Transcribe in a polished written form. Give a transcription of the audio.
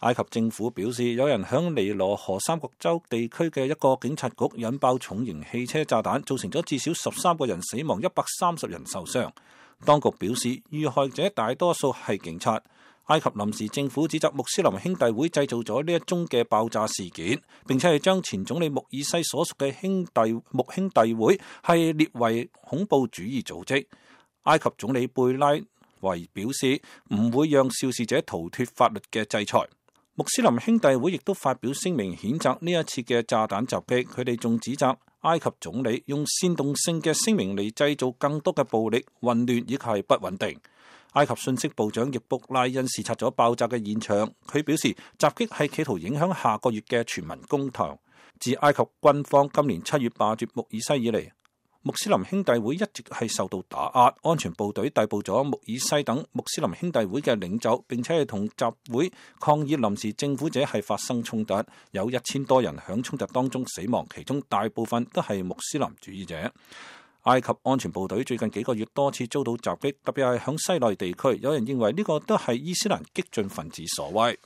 埃及政府表示，有人響尼羅河三角洲地區嘅一個警察局引爆重型汽車炸彈，造成咗至少13個人死亡，130人受傷。當局表示，遇害者大多數係警察。埃及臨時政府指責穆斯林兄弟會製造咗呢一宗嘅爆炸事件，並且係將前總理穆爾西所屬嘅穆兄弟會係列為恐怖主義組織。埃及總理貝拉維表示唔會讓肇事者逃脫法律嘅制裁。穆斯林兄弟會亦都發表聲明譴責呢一次嘅炸彈襲擊，佢哋仲指責埃及總理用煽動性嘅聲明嚟製造更多嘅暴力、混亂以及係不穩定。埃及信息部長易卜拉恩視察咗爆炸嘅現場，佢表示襲擊係企圖影響下個月嘅全民公投。自埃及軍方今年7月罷黜穆爾西以嚟，穆斯林兄弟會一直係受到打壓，安全部隊逮捕咗穆爾西等穆斯林兄弟會嘅領袖，並且係同集會抗議臨時政府者係發生衝突，有1000多人響衝突當中死亡，其中大部分都係穆斯林主義者。埃及安全部隊最近幾個月多次遭到襲擊，特別係響西奈地區，有人認為呢個都係伊斯蘭激進分子所為。